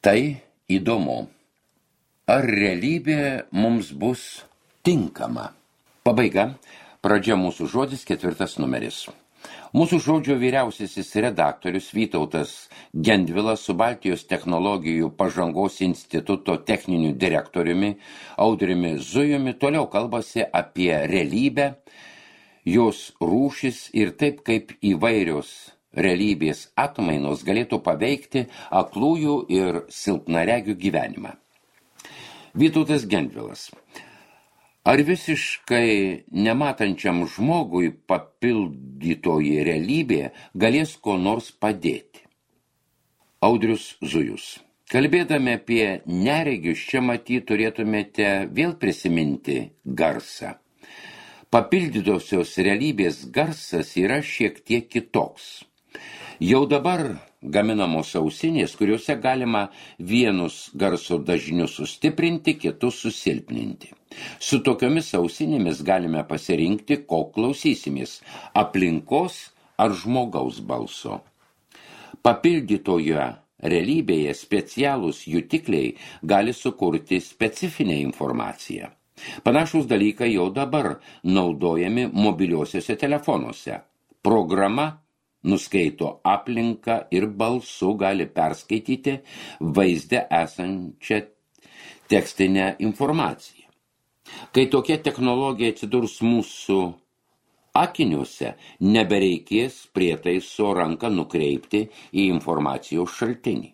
Tai įdomu. Ar realybė mums bus tinkama? Pabaiga. Pradžia mūsų žodis, 4 numeris. Mūsų žodžio vyriausiasis redaktorius Vytautas Gendvilas su Baltijos technologijų pažangos instituto techniniu direktoriumi Audriumi Zujumi toliau kalbasi apie realybę, jos rūšis ir taip, kaip įvairios realybės atmainos galėtų paveikti aklųjų ir silpnaregių gyvenimą. Vytautas Gendvilas. Ar visiškai nematančiam žmogui papildytoji realybė galės ko nors padėti? Audrius Zujus. Kalbėdami apie neregius, čia matyt turėtumėte vėl prisiminti garsą. Papildytosios realybės garsas yra šiek tiek kitoks. Jau dabar gaminamos ausinės, kuriuose galima vienus garso dažnius sustiprinti, kitus susilpninti. Su tokiomis ausinėmis galime pasirinkti, ko klausysimės – aplinkos ar žmogaus balso. Papildytoje realybėje specialūs jutikliai gali sukurti specifinę informaciją. Panašūs dalykai jau dabar naudojami mobiliuosiuose telefonuose. Programa nuskaito aplinką ir balsu gali perskaityti vaizde esančią tekstinę informaciją. Kai tokia technologija atsidurs mūsų akiniuose, nebereikės prietaiso ranką nukreipti į informacijos šaltinį.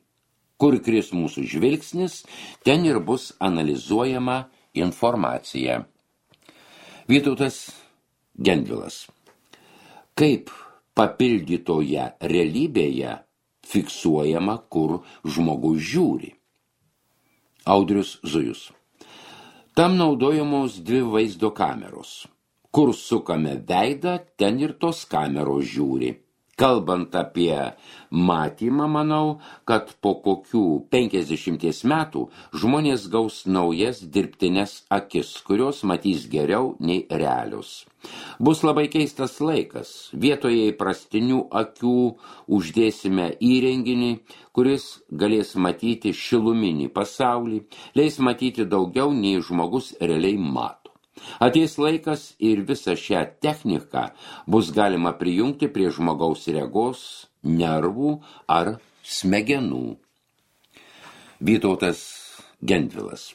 Kur kris mūsų žvilgsnis, ten ir bus analizuojama informacija. Vytautas Gendvilas. Kaip papildytoje realybėje fiksuojama, kur žmogus žiūri? Audrius Zujus. Tam naudojamos 2 vaizdo kameros. Kur sukame veidą, ten ir tos kameros žiūri. Kalbant apie matymą, manau, kad po kokių 50 metų žmonės gaus naujas dirbtines akis, kurios matys geriau nei realius. Bus labai keistas laikas. Vietoje įprastinių akių uždėsime įrenginį, kuris galės matyti šiluminį pasaulį, leis matyti daugiau nei žmogus realiai mato. Ateis laikas ir visą šią techniką bus galima prijungti prie žmogaus regos, nervų ar smegenų. Vytautas Gendvilas.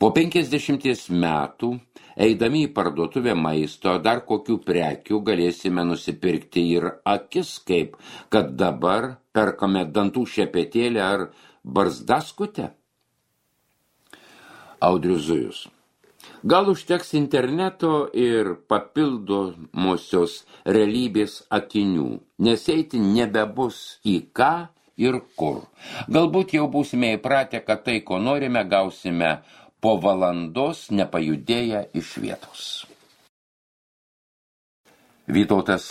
Po 50 metų, eidami į parduotuvę maisto, dar kokių prekių galėsime nusipirkti ir akis, kaip kad dabar perkame dantų šepetėlę ar barzdaskutę. Audrius Zujus. Gal užteks interneto ir papildomosios realybės akinių, nes eiti nebebus į ką ir kur. Galbūt jau būsime įpratę, kad tai, ko norime, gausime po valandos nepajudėję iš vietos. Vytautas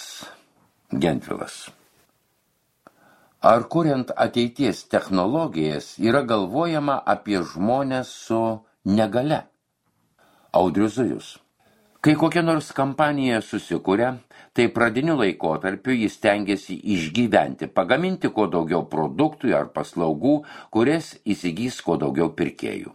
Gendvilas. Ar kuriant ateities technologijas yra galvojama apie žmones su negalia? Audrius Zujus. Kai kokia nors kampanija susikuria, tai pradiniu laikotarpiu jis stengiasi išgyventi, pagaminti kuo daugiau produktų ar paslaugų, kurias įsigys kuo daugiau pirkėjų.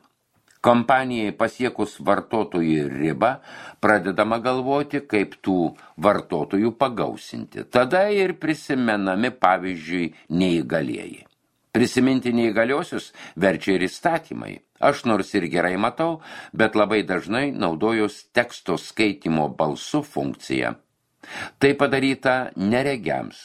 Kampanijai pasiekus vartotojų ribą, pradedama galvoti, kaip tų vartotojų pagausinti. Tada ir prisimenami, pavyzdžiui, neįgalieji. Prisiminti neįgaliosius verčia ir įstatymai. Aš nors ir gerai matau, bet labai dažnai naudojos teksto skaitymo balsu funkciją. Tai padaryta neregiams,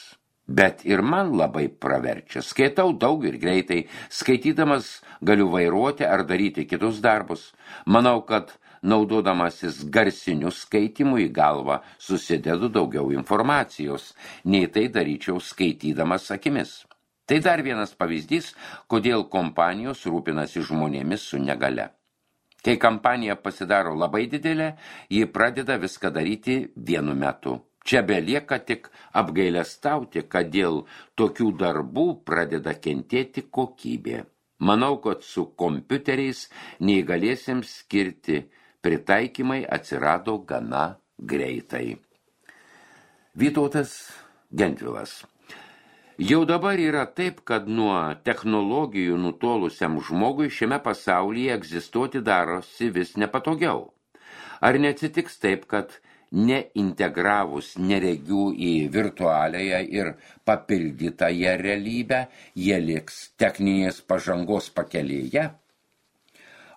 bet ir man labai praverčia. Skaitau daug ir greitai, skaitydamas galiu vairuoti ar daryti kitus darbus. Manau, kad naudodamasis garsiniu skaitymu į galvą susidedu daugiau informacijos, nei tai daryčiau skaitydamas akimis. Tai dar vienas pavyzdys, kodėl kompanijos rūpinasi žmonėmis su negalia. Kai kampanija pasidaro labai didelė, ji pradeda viską daryti vienu metu. Čia belieka tik apgailestauti, kad dėl tokių darbų pradeda kentėti kokybė. Manau, kad su kompiuteriais neįgalėsiems skirti pritaikymai atsirado gana greitai. Vytautas Gendvilas. Jau dabar yra taip, kad nuo technologijų nutolusiam žmogui šiame pasaulyje egzistuoti darosi vis nepatogiau. Ar neatsitiks taip, kad neintegravus neregių į virtualiąją ir papildytąją realybę, jie liks techninės pažangos pakelėje?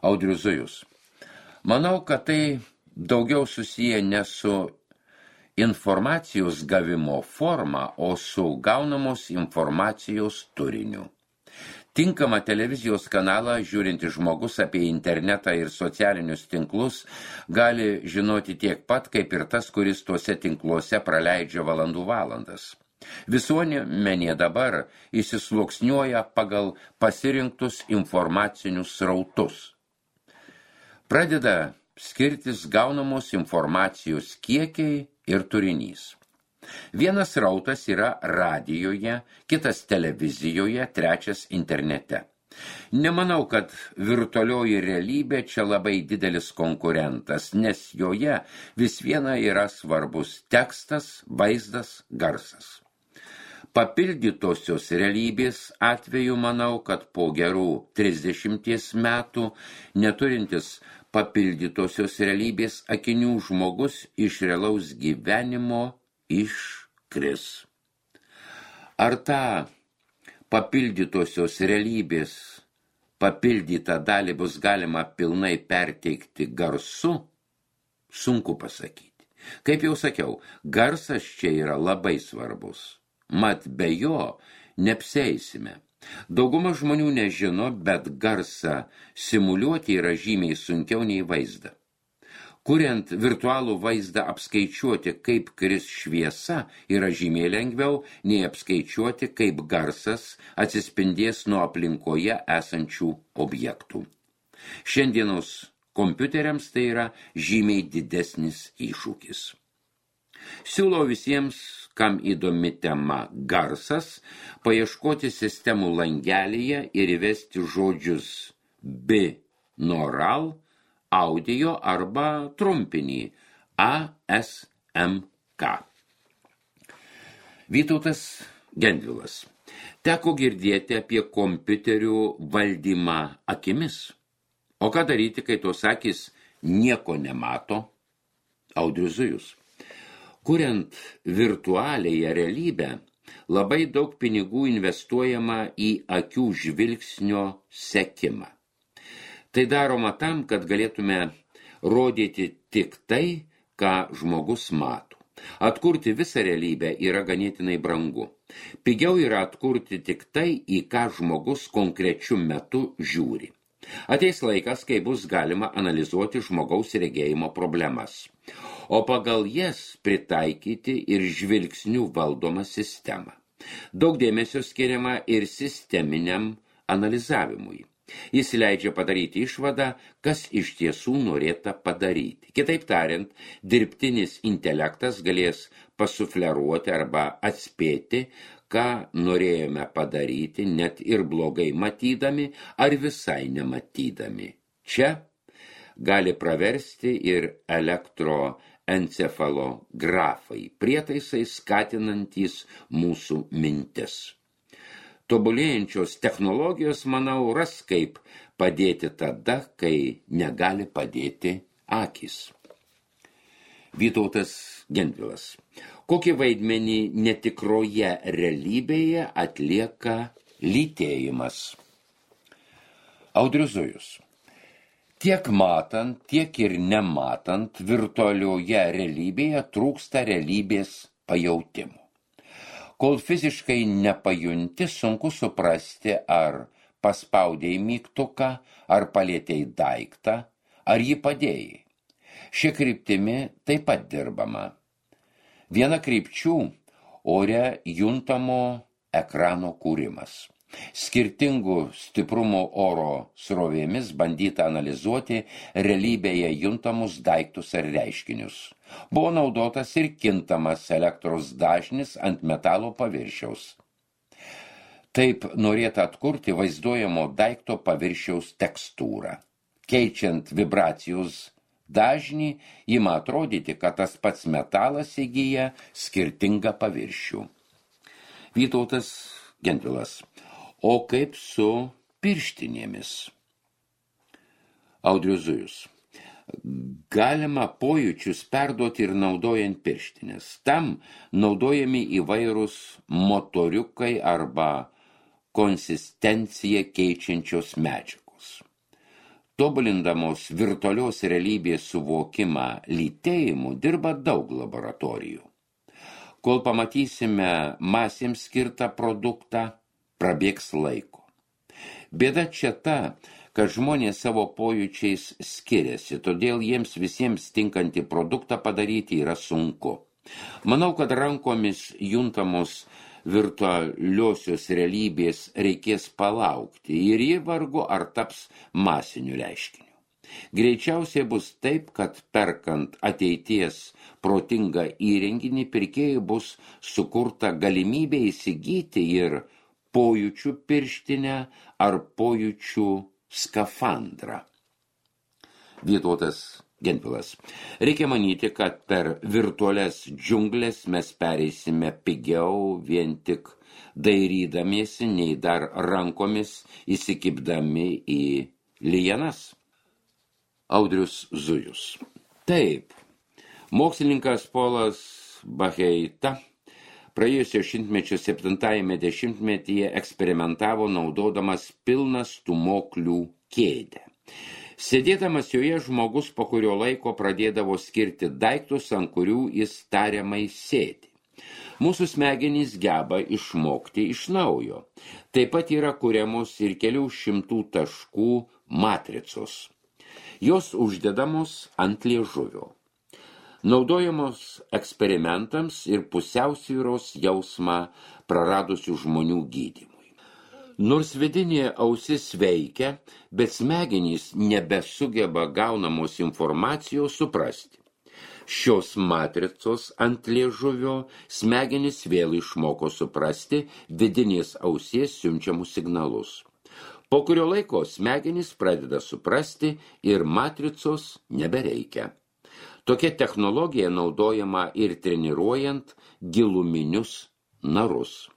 Audrius Zujus. Manau, kad tai daugiau susiję ne su informacijos gavimo forma, o su gaunamos informacijos turiniu. Tinkamą televizijos kanalą žiūrintis žmogus apie internetą ir socialinius tinklus gali žinoti tiek pat, kaip ir tas, kuris tuose tinkluose praleidžia valandas. Visuomenė dabar įsisluoksniuoja pagal pasirinktus informacinius srautus. Pradeda skirtis gaunamos informacijos kiekiai ir turinys. Vienas srautas yra radijoje, kitas televizijoje, trečias internete. Nemanau, kad virtualioji realybė čia labai didelis konkurentas, nes joje vis viena yra svarbus tekstas, vaizdas, garsas. Papildytosios realybės atveju manau, kad po gerų 30 metų neturintis papildytosios realybės akinių žmogus iš realaus gyvenimo iškris. Ar tą papildytosios realybės papildytą dalį bus galima pilnai perteikti garsu? Sunku pasakyti. Kaip jau sakiau, garsas čia yra labai svarbus. Mat be jo neapsieisime. Dauguma žmonių nežino, bet garsą simuliuoti yra žymiai sunkiau nei vaizdą. Kuriant virtualų vaizdą apskaičiuoti, kaip kris šviesa, yra žymiai lengviau nei apskaičiuoti, kaip garsas atsispindės nuo aplinkoje esančių objektų. Šiandienos kompiuteriams tai yra žymiai didesnis iššūkis. Siūlau visiems, kam įdomi tema garsas, paieškoti sistemų langelyje ir įvesti žodžius binaural, audio arba trumpinį ASMK. Vytautas Gendvilas. Teko girdėti apie kompiuterių valdymą akimis. O ką daryti, kai tos akys nieko nemato? Audrius Zujus. Kuriant virtualiąją realybę, labai daug pinigų investuojama į akių žvilgsnio sekimą. Tai daroma tam, kad galėtume rodyti tik tai, ką žmogus mato. Atkurti visą realybę yra ganėtinai brangu. Pigiau yra atkurti tik tai, į ką žmogus konkrečiu metu žiūri. Ateis laikas, kai bus galima analizuoti žmogaus regėjimo problemas, o pagal jas pritaikyti ir žvilgsnių valdomą sistemą. Daug dėmesio skiriama ir sisteminiam analizavimui. Jis leidžia padaryti išvadą, kas iš tiesų norėta padaryti. Kitaip tariant, dirbtinis intelektas galės pasufleruoti arba atspėti, ką norėjome padaryti, net ir blogai matydami ar visai nematydami. Čia gali praversti ir elektroencefalografai, prietaisai skatinantys mūsų mintis. Tobulėjančios technologijos, manau, ras kaip padėti tada, kai negali padėti akys. Vytautas Gendvilas. Kokį vaidmenį netikroje realybėje atlieka lytėjimas? Audrius Zujus. Tiek matant, tiek ir nematant, virtualioje realybėje trūksta realybės pajautimų. Kol fiziškai nepajunti, sunku suprasti, ar paspaudėjai mygtuką, ar palėtėjai daiktą, ar jį padėjai. Šia kryptimi taip pat dirbama. Viena krypčių ore juntamo ekrano kūrimas. Skirtingų stiprumo oro srovėmis bandyta analizuoti realybėje juntamus daiktus ar reiškinius. Buvo naudotas ir kintamas elektros dažnis ant metalo paviršiaus. Taip norėta atkurti vaizduojamo daikto paviršiaus tekstūrą. Keičiant vibracijos dažnį, ima atrodyti, kad tas pats metalas įgyja skirtingą paviršių. Vytautas Gentvilas. O kaip su pirštinėmis? Audrius Zujus. Galima pojūčius perduoti ir naudojant pirštinės. Tam naudojami įvairūs motoriukai arba konsistenciją keičiančios medžiagos. Tobulindamos virtualios realybės suvokimą lytėjimu dirba daug laboratorijų. Kol pamatysime masėms skirtą produktą, prabėgs laiko. Bėda čia ta, kad žmonės savo pojūčiais skiriasi, todėl jiems visiems tinkantį produktą padaryti yra sunku. Manau, kad rankomis juntamos virtualiosios realybės reikės palaukti ir ji vargu ar taps masiniu reiškiniu. Greičiausiai bus taip, kad perkant ateities protingą įrenginį pirkėjui bus sukurta galimybė įsigyti ir pojūčių pirštinę ar pojūčių skafandrą. Vytautas Gentvilas. Reikia manyti, kad per virtualias džiunglės mes pereisime pigiau vien tik dairydamiesi, nei dar rankomis įsikibdami į lianas. Audrius Zujus. Taip, mokslininkas Polas Bacheita praėjusio šimtmečio 7-ame dešimtmetyje eksperimentavo naudodamas pilną stūmoklių kėdę. Sėdėdamas joje žmogus po kurio laiko pradėdavo skirti daiktus, ant kurių jis tariamai sėdi. Mūsų smegenys geba išmokti iš naujo. Taip pat yra kuriamos ir kelių šimtų taškų matricos. Jos uždedamos ant liežuvio. Naudojamos eksperimentams ir pusiausvyros jausmą praradusių žmonių gydymui. Nors vidinė ausis veikia, bet smegenys nebesugeba gaunamos informacijos suprasti. Šios matricos ant liežuvio smegenys vėl išmoko suprasti vidinės ausies siunčiamus signalus. Po kurio laiko smegenys pradeda suprasti ir matricos nebereikia. Tokia technologija naudojama ir treniruojant giluminius narus.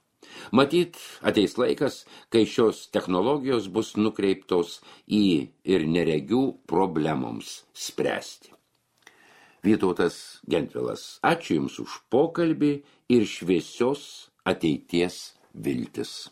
Matyt, ateis laikas, kai šios technologijos bus nukreiptos į ir neregių problemoms spręsti. Vytautas Gentvilas. Ačiū Jums už pokalbį ir šviesios ateities viltis.